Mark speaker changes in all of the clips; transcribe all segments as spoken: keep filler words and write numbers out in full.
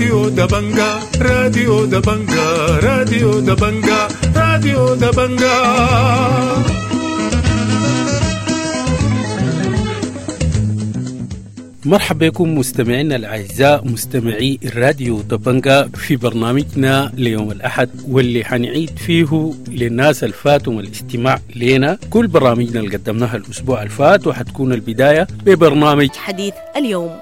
Speaker 1: راديو دبنجا راديو دبنجا راديو دبنجا راديو دبنجا.
Speaker 2: مرحبا بكم مستمعينا الأعزاء مستمعي الراديو دبنجا في برنامجنا ليوم الأحد، واللي حنعيد فيه للناس الفاتهم الاستماع لنا كل برامجنا اللي قدمناها الأسبوع الفات، وحتكون البداية ببرنامج
Speaker 3: حديث اليوم.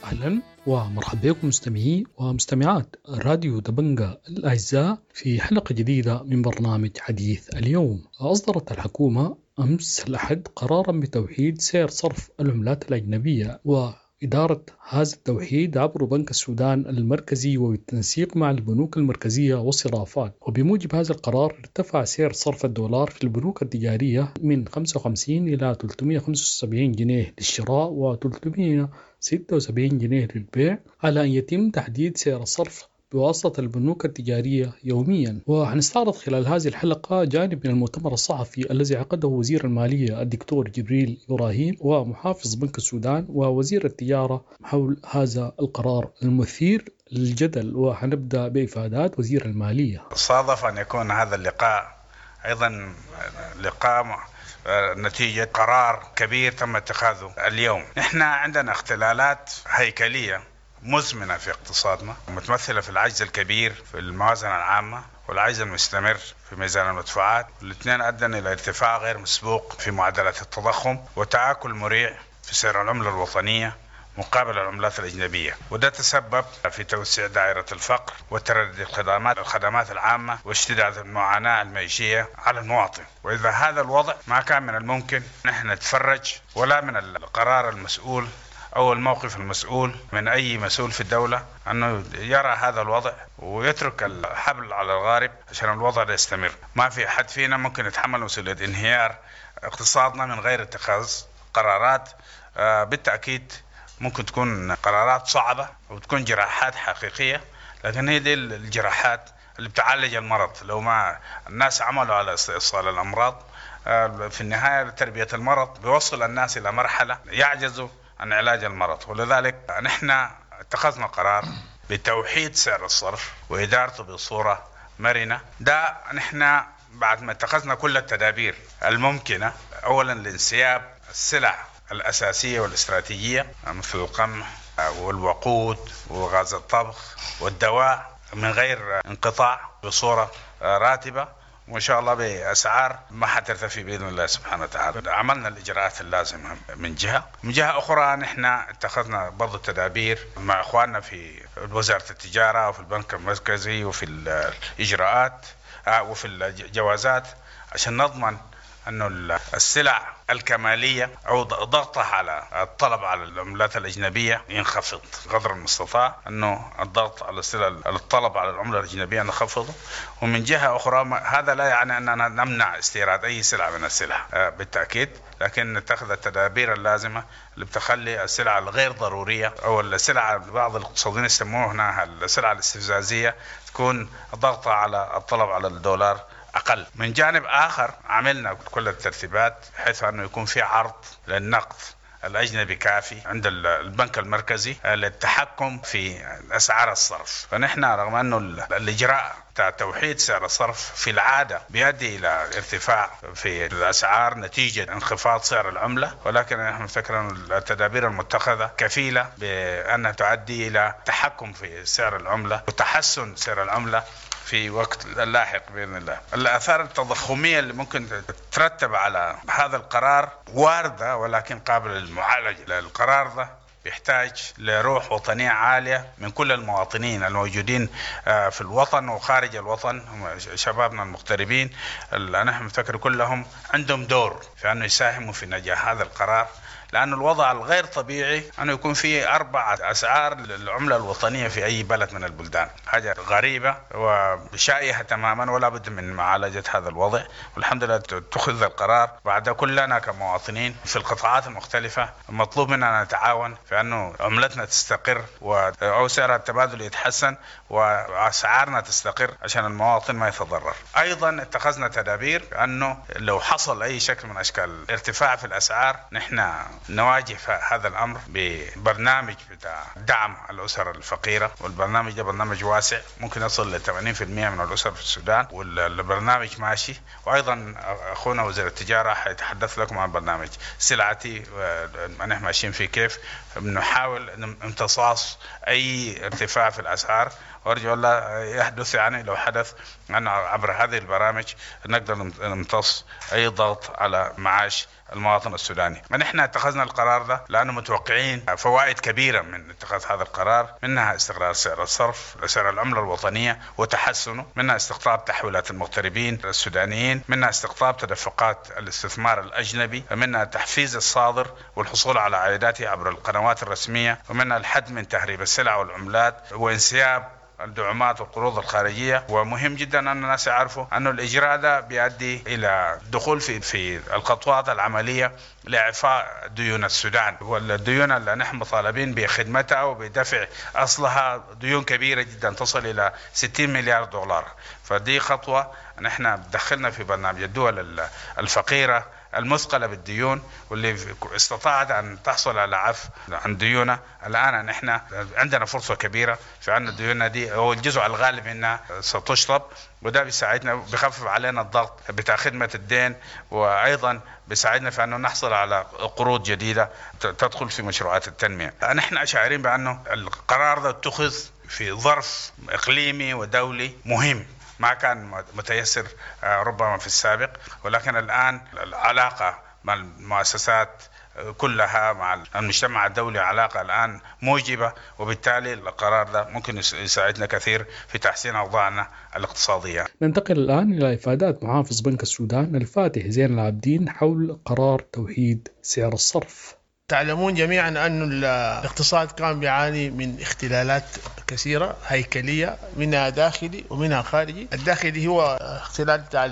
Speaker 4: أهلا ومرحبا بكم مستمعي ومستمعات راديو دبنجا الأعزاء في حلقة جديدة من برنامج حديث اليوم. أصدرت الحكومة أمس الأحد قرارا بتوحيد سعر صرف العملات الأجنبية وإدارة هذا التوحيد عبر بنك السودان المركزي وبالتنسيق مع البنوك المركزية والصرافات. وبموجب هذا القرار ارتفع سعر صرف الدولار في البنوك التجارية من خمسة وخمسين إلى ثلاثمئة وخمسة وسبعين جنيه للشراء و ثلاثمئة وستة وسبعين جنيه للبيع، على أن يتم تحديد سعر الصرف بواسطة البنوك التجارية يوميا. وحنستعرض خلال هذه الحلقة جانب من المؤتمر الصحفي الذي عقده وزير المالية الدكتور جبريل إبراهيم ومحافظ بنك السودان ووزير التجارة حول هذا القرار المثير للجدل. وحنبدأ بإفادات وزير المالية.
Speaker 5: صادف أن يكون هذا اللقاء أيضا لقاء نتيجة قرار كبير تم اتخاذه اليوم. نحن عندنا اختلالات هيكلية مزمنة في اقتصادنا، متمثلة في العجز الكبير في الموازنة العامة والعجز المستمر في ميزان المدفوعات. الاثنين أدى إلى ارتفاع غير مسبوق في معدلات التضخم وتآكل مريع في سعر العملة الوطنية مقابل العملات الأجنبية، وده تسبب في توسيع دائرة الفقر وتردي الخدمات الخدمات العامة واشتداد المعاناة المعيشية على المواطن. وإذا هذا الوضع ما كان من الممكن نحن نتفرج، ولا من القرار المسؤول أو الموقف المسؤول من أي مسؤول في الدولة أنه يرى هذا الوضع ويترك الحبل على الغارب عشان الوضع ده يستمر. ما في حد فينا ممكن يتحمل مسؤولية انهيار اقتصادنا من غير اتخاذ قرارات بالتأكيد ممكن تكون قرارات صعبة وتكون جراحات حقيقية، لكن هي دي الجراحات اللي بتعالج المرض. لو ما الناس عملوا على استئصال الأمراض في النهاية تربية المرض بيوصل الناس إلى مرحلة يعجزوا عن علاج المرض. ولذلك نحن اتخذنا قرار بتوحيد سعر الصرف وإدارته بصورة مرنة. ده نحن بعد ما اتخذنا كل التدابير الممكنة، أولا لانسياب السلع الأساسية والاستراتيجية مثل القمح والوقود وغاز الطبخ والدواء من غير انقطاع بصورة راتبة، وإن شاء الله بأسعار ما حترتفع بإذن الله سبحانه وتعالى. عملنا الإجراءات اللازمة من جهة، من جهة أخرى نحن اتخذنا برضو التدابير مع إخواننا في وزارة التجارة وفي البنك المركزي وفي الإجراءات وفي الجوازات عشان نضمن أنه السلع الكمالية أو ضغطها على الطلب على العملات الأجنبية ينخفض قدر المستطاع، أنه الضغط على السلع الطلب على العملة الأجنبية نخفضه. ومن جهة أخرى هذا لا يعني أننا نمنع استيراد أي سلعة من السلع بالتأكيد، لكن نتخذ التدابير اللازمة اللي بتخلي السلع الغير ضرورية أو السلع بعض الاقتصاديين يسموها هنا السلع الاستفزازية تكون ضغطها على الطلب على الدولار أقل. من جانب آخر عملنا كل الترتيبات بحيث أنه يكون في عرض للنقد الأجنبي كافي عند البنك المركزي للتحكم في أسعار الصرف. فنحن رغم أنه الإجراء بتاع توحيد سعر الصرف في العادة بيؤدي إلى ارتفاع في الأسعار نتيجة انخفاض سعر العملة، ولكن نحن نفتكر أن التدابير المتخذة كفيلة بأنها تؤدي إلى تحكم في سعر العملة وتحسن سعر العملة في وقت اللاحق بإذن الله. الآثار التضخمية اللي ممكن تترتب على هذا القرار واردة ولكن قابلة للمعالجة. القرار ده بيحتاج لروح وطنية عالية من كل المواطنين الموجودين في الوطن وخارج الوطن، شبابنا المغتربين اللي نحن نفتكر كلهم عندهم دور في أنه يساهموا في نجاح هذا القرار، لأن الوضع الغير طبيعي أنه يكون في أربع أسعار للعملة الوطنية في أي بلد من البلدان، حاجة غريبة وشائعة تماما، ولا بد من معالجة هذا الوضع. والحمد لله اتخذ القرار. بعد كلنا كمواطنين في القطاعات المختلفة مطلوب مننا نتعاون في أنه عملتنا تستقر أو سعر التبادل يتحسن وأسعارنا تستقر عشان المواطن ما يتضرر. أيضا اتخذنا تدابير أنه لو حصل أي شكل من أشكال ارتفاع في الأسعار نحن نواجه هذا الأمر ببرنامج بتاع دعم الأسر الفقيرة، والبرنامج ده برنامج واسع ممكن يصل ل ثمانين بالمئة من الأسر في السودان، والبرنامج ماشي. وأيضا أخونا وزير التجارة حيتحدث لكم عن برنامج سلعتي نحن ماشيين فيه كيف بنحاول امتصاص أي ارتفاع في الأسعار، وأرجو الله يحدث يعني لو حدث أن عبر هذه البرامج نقدر نمتص أي ضغط على معاش المواطن السوداني. نحن اتخذنا القرار ده لأنه متوقعين فوائد كبيرة من اتخاذ هذا القرار، منها استقرار سعر الصرف، سعر العملة الوطنية وتحسنه، منها استقطاب تحويلات المغتربين السودانيين، منها استقطاب تدفقات الاستثمار الأجنبي، منها تحفيز الصادر والحصول على عائداته عبر القنوات الرسمية، ومنها الحد من تهريب السلع والعملات وانسياب الدعومات والقروض الخارجية. ومهم جدا أن الناس يعرفوا أن الإجراء ده بيؤدي إلى دخول في في الخطوات العملية لإعفاء ديون السودان، والديون اللي نحن مطالبين بخدمتها وبدفع أصلها ديون كبيرة جدا تصل إلى ستين مليار دولار. فدي خطوة نحن دخلنا في برنامج الدول الفقيرة المثقلة بالديون واللي استطاعت أن تحصل على عفو عن ديونها. الآن نحن عندنا فرصة كبيرة في أن ديوننا دي هو الجزء الغالب منها ستشطب، وده بيساعدنا بخفف علينا الضغط بتاع خدمة الدين، وأيضا بيساعدنا في أنه نحصل على قروض جديدة تدخل في مشروعات التنمية. نحن شاعرين بأنه القرار ده اتخذ في ظرف إقليمي ودولي مهم ما كان متيسر ربما في السابق، ولكن الآن العلاقة مع المؤسسات كلها مع المجتمع الدولي علاقة الآن موجبة، وبالتالي القرار ده ممكن يساعدنا كثير في تحسين أوضاعنا الاقتصادية.
Speaker 4: ننتقل الآن إلى إفادات محافظ بنك السودان الفاتح زين العابدين حول قرار توحيد سعر الصرف.
Speaker 3: تعلمون جميعا أن الاقتصاد كان بيعاني من اختلالات كثيرة هيكلية، منها داخلي ومنها خارجي. الداخلي هو اختلال بتاع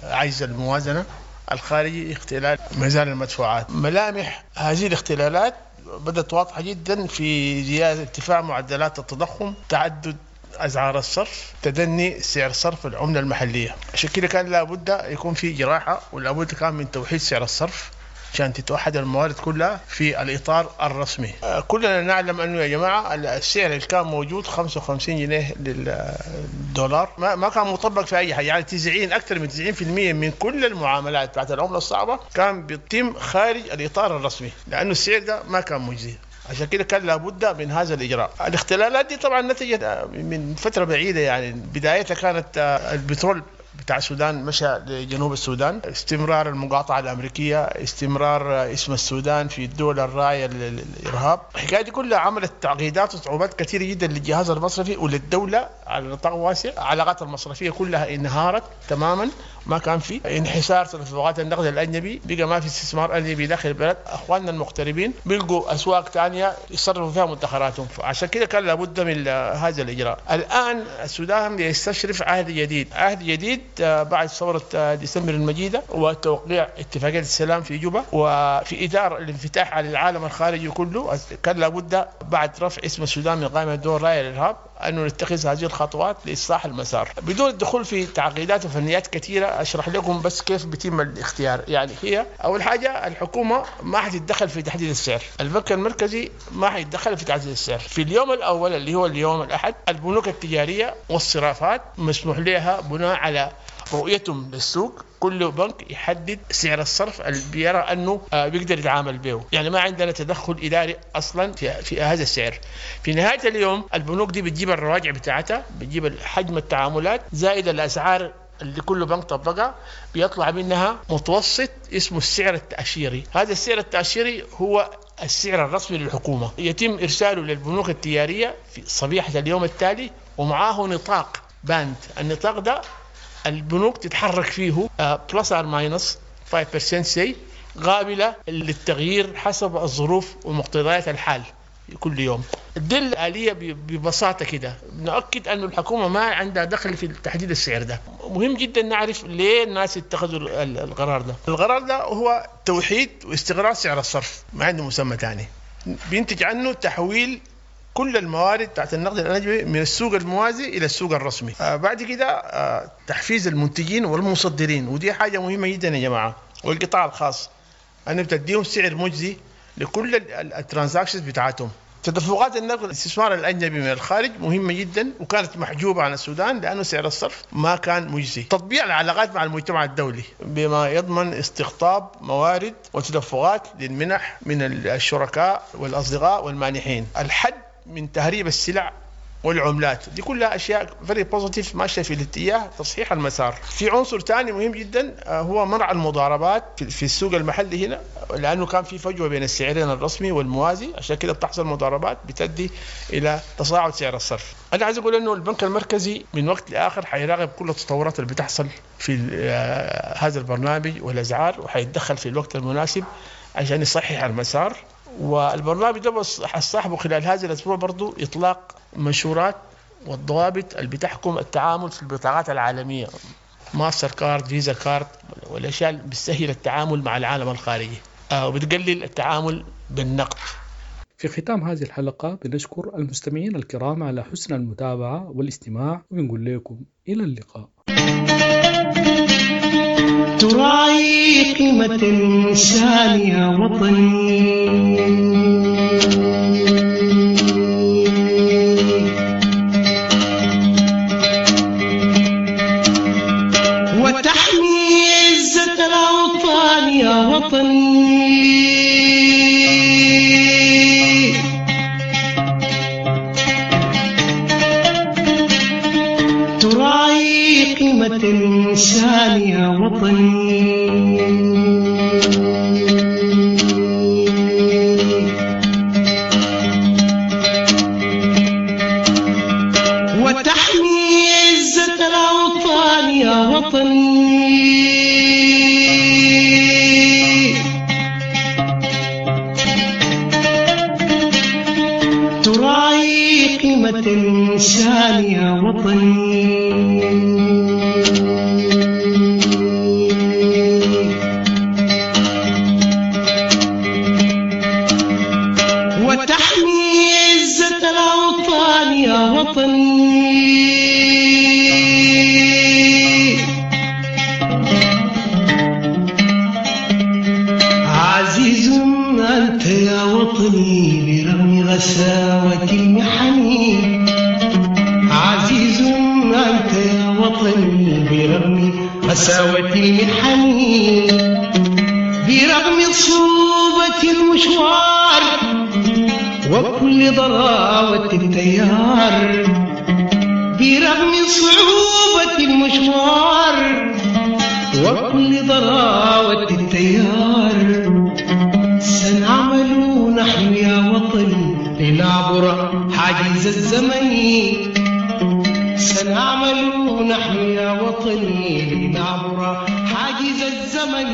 Speaker 3: عجز الموازنة، الخارجي اختلال ميزان المدفوعات. ملامح هذه الاختلالات بدأت واضحة جدا في زيادة ارتفاع معدلات التضخم، تعدد أسعار الصرف، تدني سعر صرف العملة المحلية. عشان كده كان لابد يكون في جراحة، ولابد كان من توحيد سعر الصرف عشان تتوحد الموارد كلها في الإطار الرسمي. كلنا نعلم أنه يا جماعة السعر اللي كان موجود خمسة وخمسين جنيه للدولار ما, ما كان مطبق في أي حاجة، يعني تسعين أكثر من تسعين بالمئة من كل المعاملات بتاعت العملة الصعبة كان بيتم خارج الإطار الرسمي، لأنه السعر ده ما كان مجزي. عشان كده كان لابد من هذا الإجراء. الاختلالات دي طبعا نتجت من فترة بعيدة، يعني بدايتها كانت البترول بتاع السودان مشى لجنوب السودان، استمرار المقاطعة الأمريكية، استمرار اسم السودان في الدول الراعية للإرهاب. الحكاية دي كلها عملت تعقيدات وصعوبات كثيرة جدا للجهاز المصرفي وللدولة على نطاق واسع. العلاقات المصرفية كلها انهارت تماما، ما كان في انحسار تدفقات النقد الأجنبي، بقى ما في استثمار أجنبي داخل البلد. أخواننا المغتربين بيلقوا أسواق ثانية يصرفوا فيها مدخراتهم، عشان كده كان لابد من هذا الإجراء. الآن السودان يستشرف عهد جديد، عهد جديد بعد ثورة ديسمبر المجيدة وتوقيع اتفاقية السلام في جوبا، وفي إطار الانفتاح على العالم الخارجي كله كان لابد بعد رفع اسم السودان من قائمة دول راعية للإرهاب أنه نتخذ هذه الخطوات لإصلاح المسار بدون الدخول في تعقيدات وفنيات كثيرة. أشرح لكم بس كيف بيتم الاختيار. يعني هي أول حاجة الحكومة ما حتتدخل في تحديد السعر، البنك المركزي ما حيتدخل في تحديد السعر. في اليوم الأول اللي هو اليوم الأحد البنوك التجارية والصرافات مسموح لها بناء على رؤيتهم للسوق، كل بنك يحدد سعر الصرف اللي بيرى انه بيقدر يتعامل به، يعني ما عندنا تدخل اداري اصلا في في هذا السعر. في نهايه اليوم البنوك دي بتجيب الرواجع بتاعتها، بتجيب حجم التعاملات زائد الاسعار اللي كل بنك طبقها، بيطلع منها متوسط اسمه السعر التأشيري. هذا السعر التأشيري هو السعر الرسمي للحكومة، يتم إرساله للبنوك التجارية في صبيحة اليوم التالي، ومعاه نطاق band. النطاق ده البنوك تتحرك فيه plus or minus خمسة بالمئة سي قابلة للتغيير حسب الظروف ومقتضيات الحال كل يوم. دي الآلية ببساطة كده. نؤكد أن الحكومة ما عندها دخل في تحديد السعر ده. مهم جدا نعرف ليه الناس اتخذوا القرار ده. القرار ده هو توحيد واستقرار سعر الصرف، ما عنده مسمى تاني. بينتج عنه تحويل كل الموارد بتاعت النقد الأجنبي من السوق الموازي إلى السوق الرسمي. آه بعد كده آه تحفيز المنتجين والمصدرين، ودي حاجة مهمة جدا يا جماعة، والقطاع الخاص أنه بتديهم سعر مجزي لكل ال transactions بتاعتهم. تدفقات النقد الاستثمار الأجنبي من الخارج مهمة جدا، وكانت محجوبة عن السودان لأنه سعر الصرف ما كان مجزي. تطبيع العلاقات مع المجتمع الدولي بما يضمن استقطاب موارد وتدفقات للمنح من الشركاء والأصدقاء والمانحين. الحد من تهريب السلع والعملات، دي كلها أشياء very positive ماشية في الاتجاه تصحيح المسار. في عنصر ثاني مهم جدا هو منع المضاربات في السوق المحلي هنا، لأنه كان في فجوة بين السعرين الرسمي والموازي، عشان كده بتحصل مضاربات بتؤدي إلى تصاعد سعر الصرف. أنا عايز أقول إنه البنك المركزي من وقت لآخر حيراقب كل التطورات اللي بتحصل في هذا البرنامج والأسعار، وحيتدخل في الوقت المناسب عشان يصحح المسار. والبرنامج ده صاحبه خلال هذا الأسبوع برضو إطلاق منشورات والضوابط اللي بتحكم التعامل في البطاقات العالمية، Mastercard، Visa card، والأشياء اللي بتسهل التعامل مع العالم الخارجي وبتقلل التعامل بالنقد.
Speaker 4: في ختام هذه الحلقة بنشكر المستمعين الكرام على حسن المتابعة والاستماع، وبنقول لكم إلى اللقاء.
Speaker 6: تراعي قيمة الإنسان يا وطني، وتحمي عزة الأوطان يا وطني، تراعي قيمة الإنسان يا وطني، وتحمي عزة الأوطان يا وطني، تراعي قيمة الإنسان يا وطني، وتحمي عزة الأوطان يا وطني. عزيز أنت يا وطني برغم غساوة المحن، عزيز أنت يا وطني برغم غساوة المحن، برغم صعوبة المشوار وكل ضراوة التيار، برغم صعوبة المشوار وكل ضراوة التيار، سنعمل نحن يا وطني لنعبر حاجز الزمن، سنعمل نحن يا وطني لنعبر حاجز الزمن.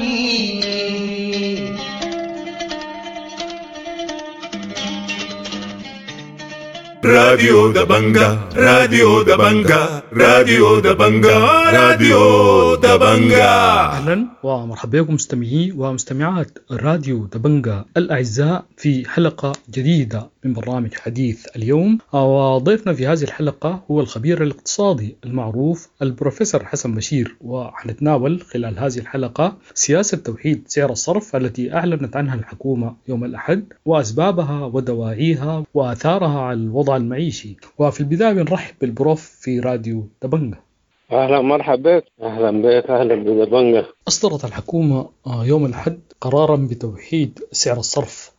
Speaker 1: راديو دبنجا، راديو دبنجا، راديو دبنجا، راديو دبنجا.
Speaker 4: أهلا ومرحبا بكم مستمعي ومستمعات راديو دبنجا الأعزاء في حلقة جديدة من برنامج حديث اليوم. وضيفنا في هذه الحلقة هو الخبير الاقتصادي المعروف البروفيسور حسن بشير، وحنتناول خلال هذه الحلقة سياسة توحيد سعر الصرف التي أعلنت عنها الحكومة يوم الأحد وأسبابها ودواعيها وآثارها على الوضع المعيشي. وفي البداية بنرحب بالبروف في راديو دبنجا.
Speaker 7: أهلا مرحبا بك. أهلا بك، أهلا بدبنجا.
Speaker 4: أصدرت الحكومة يوم الأحد قرارا بتوحيد سعر الصرف.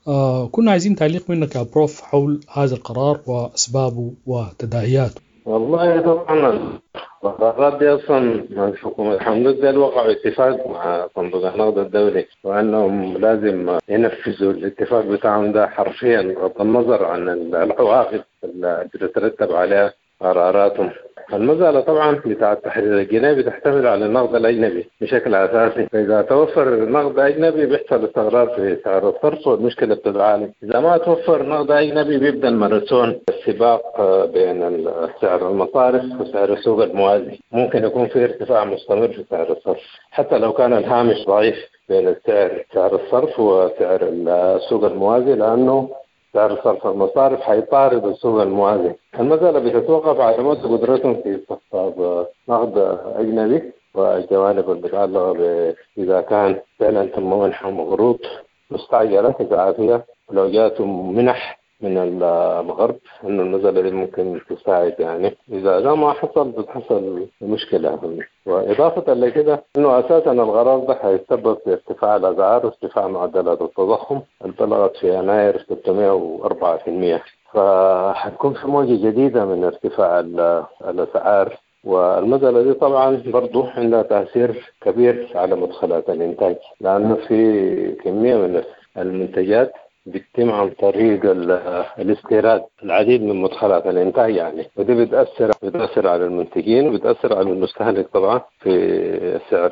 Speaker 4: كنا عايزين تعليق منك يا بروف حول هذا القرار وأسبابه وتداعياته.
Speaker 7: والله طبعا القرارات دي أصلا الحكومة الحمد لله وقعوا اتفاق مع صندوق النقد الدولي، وأنهم لازم ينفذوا الاتفاق بتاعهم ده حرفيا بغض النظر عن العواقب اللي تترتب عليها قراراتهم. المسألة طبعا بتاع تحرير الجنيه بتعتمد على النقد الأجنبي بشكل أساسي، فإذا توفر نقد أجنبي بيحصل استقرار في سعر الصرف والمشكلة بتتعالج. إذا ما توفر نقد أجنبي بيبدأ الماراثون، السباق بين سعر المصارف وسعر السوق الموازي، ممكن يكون في ارتفاع مستمر في سعر الصرف حتى لو كان الهامش ضعيف بين السعر سعر الصرف وسعر السوق الموازي، لأنه سعر صرف المصارف حيطارد السوق الموازي. المسألة بتتوقف على مدى قدرتهم في استقطاب نقد أجنبي والجوانب المتعلقة إذا كان فعلا تم منحهم قروض مستعجلة إسعافية، ولو جاتهم منح من الغرب إنه المسألة دي ممكن تساعد يعني. إذا ده ما حصل بتحصل مشكلة. وإضافة لكده إنه أساسا القرار ده حيتسبب في ارتفاع الأسعار وارتفاع معدلات التضخم اللي بلغت في يناير ستمائة وأربعة في المئة، فحتكون في موجة جديدة من ارتفاع الأسعار. والمسألة دي طبعا برضو عندها تأثير كبير على مدخلات الإنتاج، لأنه في كمية من المنتجات بتتم عن طريق الاستيراد العديد من مدخلات الإنتاج يعني، ودي بتأثر بتأثر على المنتجين وبتأثر على المستهلك طبعا في سعر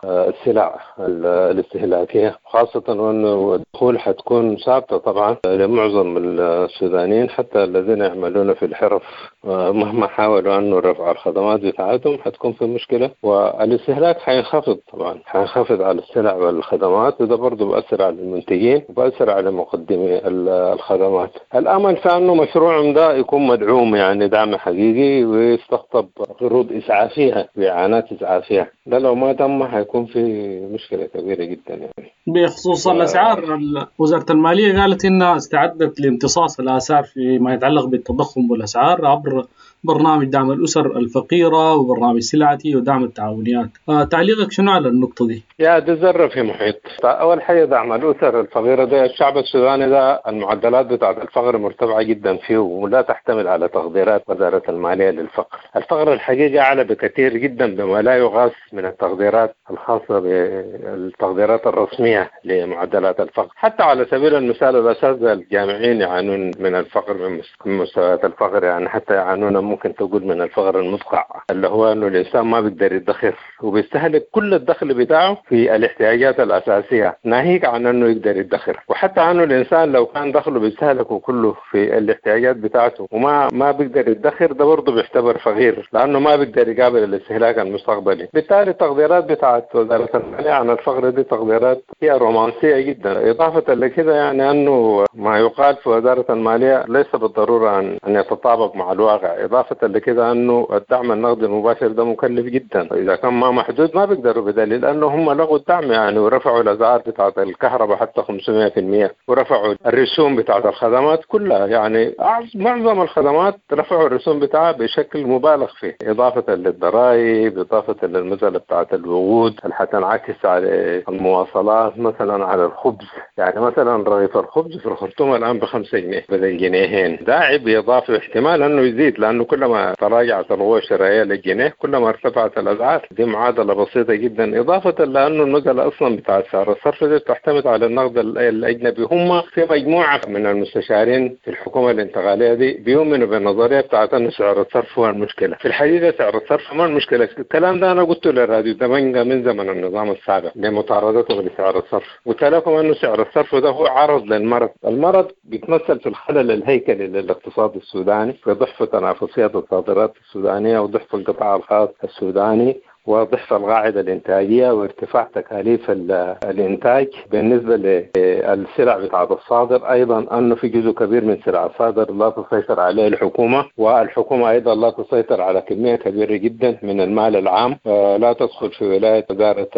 Speaker 7: السلع الاستهلاكية، خاصة وأنه الدخول حتكون ثابتة طبعا لمعظم السودانيين حتى الذين يعملون في الحرف، مهما حاولوا أنه رفع الخدمات بتاعتهم حتكون في مشكلة، والاستهلاك حينخفض طبعا، حينخفض على السلع والخدمات، وده برضه بأثر على المنتجين وبأثر على مقدمي الخدمات. الأمل في أنه مشروعهم ده يكون مدعوم يعني دعم حقيقي ويستقطب قروض إسعافية وإعانات إسعافية، ده لو ما تم حيكون في مشكلة كبيرة جدا يعني.
Speaker 8: بخصوص الأسعار، وزارة المالية قالت إنها استعدت لامتصاص الآثار فيما يتعلق بالتضخم والأسعار عبر برنامج دعم الأسر الفقيرة وبرنامج سلعتي ودعم التعاونيات. آه تعليقك شنو على النقطة دي؟
Speaker 7: يا دي ذرة في محيط. أول حاجة دعم الأسر الفقيرة ده، الشعب السوداني ده المعدلات بتاعت الفقر مرتفعة جدا فيه ولا تحتمل على تقديرات وزارة المالية للفقر. الفقر الحقيقي أعلى بكثير جدا بما لا يغاث من التقديرات الخاصة بالتقديرات الرسمية لمعدلات الفقر. حتى على سبيل المثال الأساتذة الجامعيين يعانون من الفقر من مستويات الفقر يعني، حتى يعانون ممكن تقول من الفقر المدقع اللي هو انه الانسان ما بيقدر يدخر وبيستهلك كل الدخل بتاعه في الاحتياجات الاساسيه، ناهيك عن انه يقدر يدخر. وحتى انه الانسان لو كان دخله بيستهلكه كله في الاحتياجات بتاعته وما ما بيقدر يدخر، ده برضه بيعتبر فقير لانه ما بيقدر يقابل الاستهلاك المستقبلي. بالتالي التقديرات بتاعت وزاره الماليه عن الفقر دي تقديرات هي رومانسيه جدا. اضافه لكده يعني انه ما يقال في وزاره الماليه ليس بالضروره ان ان يتطابق مع الواقع. إضافة لكده أنه الدعم النقدي المباشر ده مكلف جدا، إذا كان ما محدود ما بيقدروا، بدليل أنه هم لغوا الدعم يعني ورفعوا الأسعار بتاعة الكهرباء حتى خمسمائة بالمئة ورفعوا الرسوم بتاعة الخدمات كلها، يعني معظم الخدمات رفعوا الرسوم بتاعها بشكل مبالغ فيه، إضافة للضرائب، إضافة للمسألة بتاعة الوقود اللي حتنعكس على المواصلات مثلا، على الخبز. يعني مثلا رغيف الخبز في الخرطوم الآن بخمسة جنيه بدل جنيهين، ده عبء إضافي واحتمال أنه يزيد، لأنه كلما تراجعت القوة الشرائية للجنيه كلما ارتفعت الأسعار. دي معادلة بسيطة جدا. إضافة لأنه المسألة أصلا بتاع سعر الصرف دي بتعتمد على النقد الأجنبي. هم في مجموعة من المستشارين في الحكومة الانتقالية دي بيؤمنوا بالنظرية بتاعت أن سعر الصرف هو المشكلة. في الحقيقة سعر الصرف ما المشكلة. الكلام ده أنا قلته للراديو دبنجة من زمن النظام السابق لمطاردتهم لسعر الصرف، قلت لكم أنه سعر الصرف ده هو عرض للمرض. المرض بيتمثل في الخلل الهيكلي للاقتصاد السوداني، في ضعف تنافسية الصادرات السودانية وضعف القطاع الخاص السوداني وضعف القاعدة الإنتاجية وارتفاع تكاليف الإنتاج. بالنسبة للسلع بتاعة الصادر أيضا أنه في جزء كبير من سلع الصادر لا تسيطر عليه الحكومة، والحكومة أيضا لا تسيطر على كمية كبيرة جدا من المال العام، لا تدخل في ولاية وزارة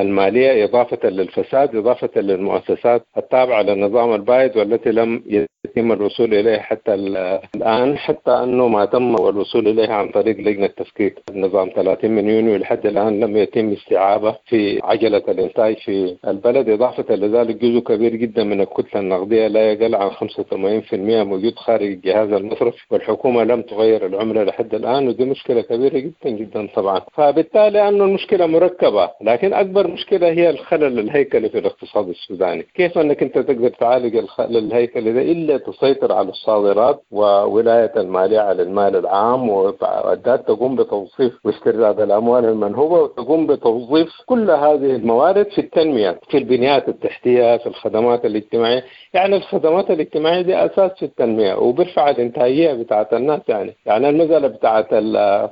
Speaker 7: المالية، إضافة للفساد، إضافة للمؤسسات التابعة للنظام البائد والتي لم يتم الوصول إليه حتى الآن، حتى أنه ما تم الوصول إليه عن طريق لجنة تفكيك النظام ثلاثين من يونيو لحد الآن لم يتم استيعابه في عجلة الإنتاج في البلد. إضافة لذلك جزء كبير جدا من الكتلة النقدية لا يقل عن خمسة وثمانين بالمئة موجود خارج الجهاز المصرفي، والحكومة لم تغير العملة لحد الآن، ودي مشكلة كبيرة جدا جدا طبعا. فبالتالي أنه المشكلة مركبة، لكن أكبر مشكلة هي الخلل الهيكلي في الاقتصاد السوداني. كيف أنك أنت تقدر تعالج الخلل الهيكلي ده إلا تسيطر على الصادرات وولاية المالية على المال العام، وبعد تقوم بتوظيف واسترداد الأموال المنهوبة، وتقوم بتوظيف كل هذه الموارد في التنمية، في البنيات التحتية، في الخدمات الاجتماعية. يعني الخدمات الاجتماعية دي أساس في التنمية وبرفع الإنتاجية بتاعت الناس. يعني يعني المسألة بتاعت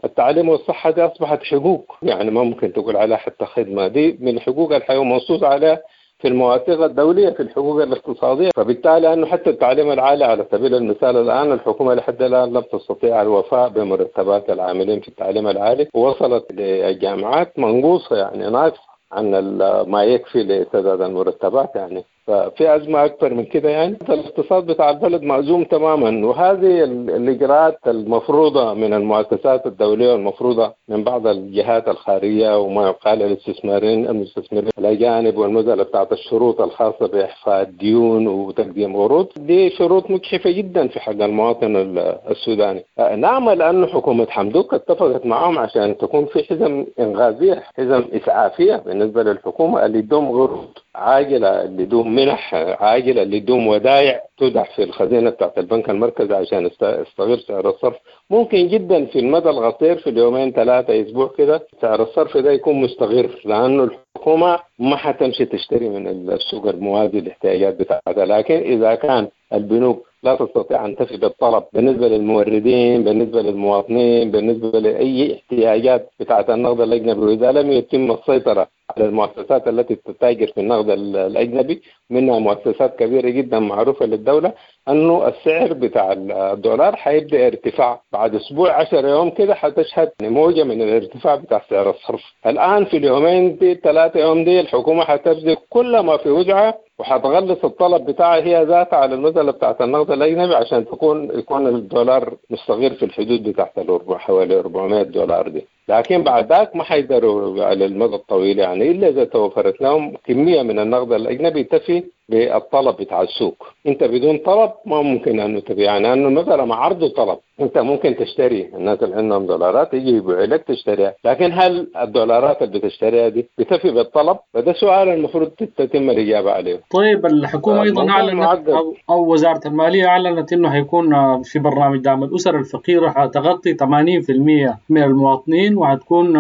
Speaker 7: التعليم والصحة دي أصبحت حقوق، يعني ما ممكن تقول عليها حتى خدمة، دي من حقوق الحياة ومنصوص عليها في المواثيق الدولية في الحقوق الاقتصادية. فبالتالي أنه حتى التعليم العالي على سبيل المثال الآن الحكومة لحد الآن لم تستطيع الوفاء بمرتبات العاملين في التعليم العالي، ووصلت للجامعات منقوصة يعني ناقصة عن ما يكفي لسداد المرتبات. يعني ففي أزمة أكبر من كده، يعني الاقتصاد بتاع البلد مأزوم تماما. وهذه الإجراءات المفروضة من المؤسسات الدولية والمفروضة من بعض الجهات الخارجية وما يقال للاستثماريين المستثمرين الأجانب، والمسألة بتاعت الشروط الخاصة بإحفاء الديون وتقديم عروض، دي شروط مجحفة جدا في حق المواطن السوداني. نعمل أن حكومة حمدوك اتفقت معهم عشان تكون في حزم إنغازية، حزم إسعافية بالنسبة للحكومة اللي يدوم عروض عاجلة، اللي يدوم منح عاجلة، اللي يدوم ودائع تودع في الخزينة بتاعت البنك المركزي عشان يستغل سعر الصرف. ممكن جدا في المدى القصير في اليومين ثلاثة أسبوع كده سعر الصرف ده يكون مستقر، لأنه الحكومة ما حتمشي تشتري من السوق الموازي الاحتياجات بتاعتها. لكن إذا كان البنوك لا تستطيع أن تفي بالطلب بالنسبة للموردين، بالنسبة للمواطنين، بالنسبة لأي احتياجات بتاعت النقد الأجنبي، وإذا لم يتم السيطرة على المؤسسات التي تتاجر في النقد الأجنبي، منها مؤسسات كبيرة جدا معروفة للدولة، أنه السعر بتاع الدولار حيبدأ ارتفاع بعد أسبوع عشر يوم كده، حتشهد موجة من الارتفاع بتاع سعر الصرف. الآن في اليومين دي ثلاثة يوم دي الحكومة حتبذل كل ما في وسعها وحتغلص الطلب بتاعها هي ذاتها على المسألة بتاعت النقد الأجنبي عشان تكون يكون الدولار مستقر في الحدود بتاعت الأربع حوالي أربعمائة دولار دي. لكن بعد ذاك ما حيقدروا على المدى الطويل، يعني إلا إذا توفرت لهم كمية من النقد الأجنبي تفي بالطلب بتاع السوق. أنت بدون طلب ما ممكن أنه تبيع، يعني أنه مثلا مع عرض وطلب أنت ممكن تشتري، الناس اللي عندهم دولارات يجي يبيعوا لك تشتريها، لكن هل الدولارات اللي بتشتريها دي بتفي بالطلب؟ فده سؤال المفروض تتم الإجابة عليه.
Speaker 8: طيب الحكومة أيضا أعلنت أو, أو وزارة المالية أعلنت أنه حيكون في برنامج دعم الأسر الفقيرة حتغطي ثمانين بالمئة من المواطنين، وحتكون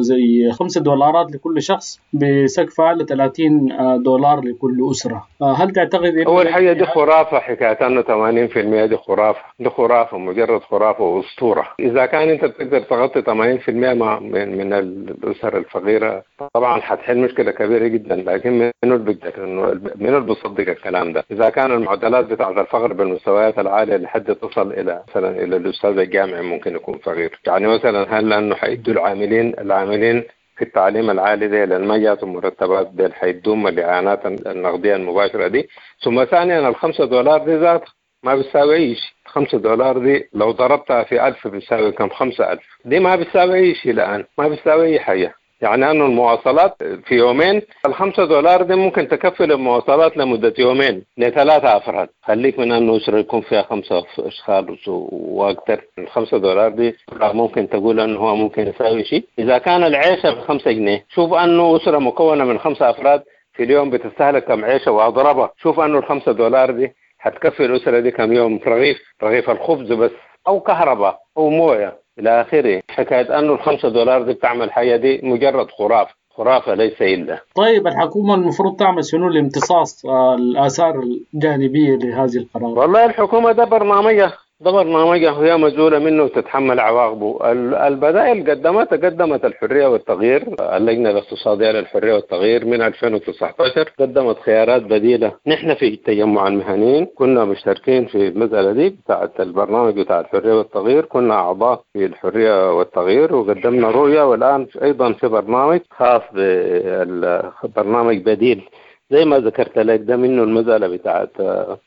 Speaker 8: زي خمسة دولارات لكل شخص بسقف أعلى ثلاثين دولار لكل أسرة. هل تعتقد إنه
Speaker 7: أول حاجة دي خرافة، حكاية أنه ثمانين بالمئة دي خرافة، دي خرافة، مجرد خرافة وأسطورة. إذا كان أنت بتقدر تغطي ثمانين بالمئة من من الأسر الفقيرة طبعا حتحل مشكلة كبيرة جدا، لكن منو اللي بيقدر إنه منو اللي بيصدق الكلام ده؟ إذا كان المعدلات بتاعت الفقر بالمستويات العالية لحد تصل إلى مثلا إلى الأستاذ الجامعي ممكن يكون فقير، يعني مثلا هل لأنه حيدوا العاملين العاملين في التعليم العالي دي لأن ما جاتهم مرتبات دي حيدوم الإعانات النقدية المباشرة دي؟ ثم ثانيا الخمسة دولار دي ذات ما بتساوي أي شيء، خمسة دولار دي لو ضربتها في ألف بتساوي كم؟ خمسة ألف، دي ما بتساوي أي شيء الآن، ما بتساوي أي حاجة. يعني أنه المواصلات في يومين الخمسة دولار دي ممكن تكفي المواصلات لمدة يومين لثلاثة أفراد، خليك من أنه أسرة يكون فيها خمسة أشخاص وأكثر. الخمسة دولار دي ممكن تقول أنه هو ممكن يساوي شيء. إذا كان العيشة بخمسة جنيه، شوف أنه أسرة مكونة من خمسة أفراد في اليوم بتستهلك كم عيشة وأضربها، شوف أنه الخمسة دولار دي حتكفي الأسرة دي كم يوم رغيف، رغيف الخبز بس، أو كهرباء أو موية إلى آخره. حكاية أنه الخمسة دولار دي بتعمل حاجة دي مجرد خرافة، خرافة ليس إلا.
Speaker 8: طيب الحكومة المفروض تعمل شنو لامتصاص الآثار الجانبية لهذه القرارات؟
Speaker 7: والله الحكومة ده برنامجها، ده برنامجها وهي مسؤولة منه وتتحمل عواقبه. البدائل قدمت قدمت الحرية والتغيير، اللجنة الاقتصادية للحرية والتغيير من ألفين وتسعة عشر قدمت خيارات بديلة. نحن في تجمع المهنيين كنا مشتركين في المسألة دي بتاعة البرنامج بتاع الحرية والتغيير، كنا أعضاء في الحرية والتغيير وقدمنا رؤية، والآن أيضا في برنامج خاص بالبرنامج بديل زي ما ذكرت لك، ده منه المسألة بتاعت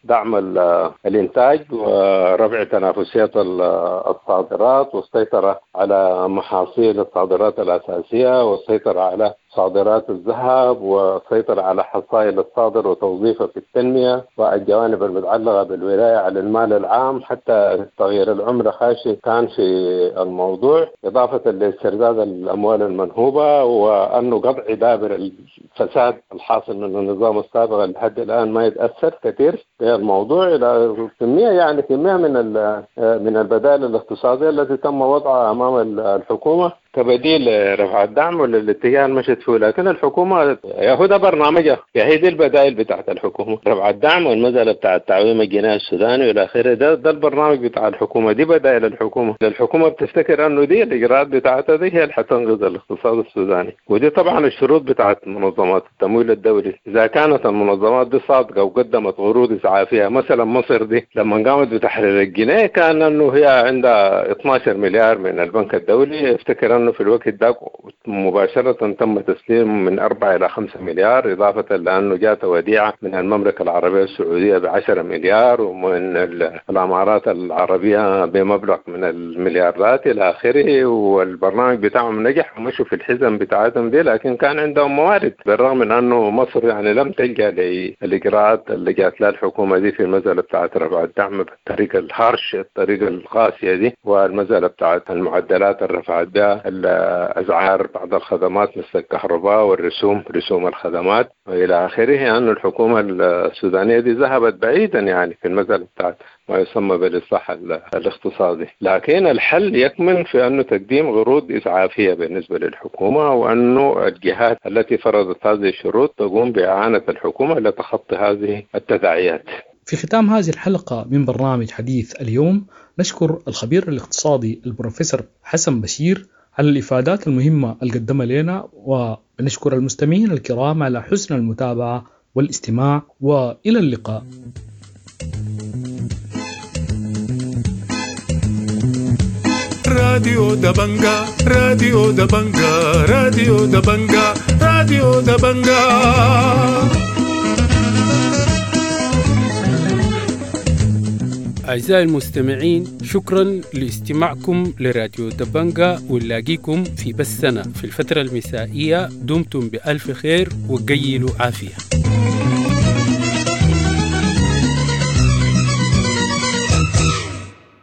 Speaker 7: دعم الإنتاج ورفع تنافسية الصادرات والسيطرة على محاصيل الصادرات الأساسية والسيطرة على صادرات الذهب والسيطرة على حصائل الصادر وتوظيفها في التنمية، والجوانب المتعلقة بالولاية على المال العام، حتى تغيير العملة خاشي كان في الموضوع، إضافة لاسترداد الأموال المنهوبة وأنه قطع دابر الفساد الحاصل من النظام السابق لحد الآن ما يتأثر كثير في الموضوع. إلى كمية يعني كمية من من البدائل الاقتصادية التي تم وضعها أمام الحكومة كبديل رفع الدعم وللاتجاه المشت فيه، لكن الحكومة يا هو ده برنامجها، يا هي دي البدائل بتاعت الحكومة، رفع الدعم والمسألة بتاع تعويم الجنيه السوداني والى اخره، ده ده البرنامج بتاع الحكومة، دي بدائل الحكومة. الحكومة بتفتكر انه دي الاجراءات بتاعتها دي هي اللي حتنقذ الاقتصاد السوداني، ودي طبعا الشروط بتاعت منظمات التمويل الدولي. اذا كانت المنظمات دي صادقة وقدمت عروض اسعافيه، مثلا مصر دي لما قامت بتحرير الجنيه كان انه هي عندها اثنا عشر مليار من البنك الدولي، افتكر انه في الوقت ده مباشرة تم تسليم من أربعة إلى خمسة مليار، إضافة لأنه جاءت وديعة من المملكة العربية السعودية بعشرة مليار ومن الإمارات العربية بمبلغ من المليارات إلى آخره، والبرنامج بتاعهم نجح ومشوا في الحزم بتاعتهم دي، لكن كان عندهم موارد، بالرغم من أنه مصر يعني لم تلجأ للإجراءات اللي جات لها الحكومة دي في المسألة بتاعت رفع الدعم بالطريقة الهارش، الطريقة القاسية دي، والمسألة بتاعت المعدلات اللي رفعت بها الأسعار بعض الخدمات مثل الكهرباء والرسوم، رسوم الخدمات وإلى آخره. أن يعني الحكومة السودانية دي ذهبت بعيدا يعني في المسألة بتاعت ما يسمى بالإصلاح الاقتصادي، لكن الحل يكمن في أنه تقديم عروض إسعافية بالنسبة للحكومة، وأنه الجهات التي فرضت هذه الشروط تقوم بإعانة الحكومة لتخطي هذه التداعيات.
Speaker 4: في ختام هذه الحلقة من برنامج حديث اليوم نشكر الخبير الاقتصادي البروفيسور حسن بشير على الإفادات المهمة اللي قدمها لنا، ونشكر المستمعين الكرام على حسن المتابعة والاستماع، وإلى اللقاء.
Speaker 1: راديو دبنجا، راديو دبنجا، راديو دبنجا، راديو دبنجا.
Speaker 2: أعزائي المستمعين، شكرا لاستماعكم لراديو دبنجا، ونلاقيكم في بثنا في الفترة المسائية. دمتم بألف خير وقيلوا عافية.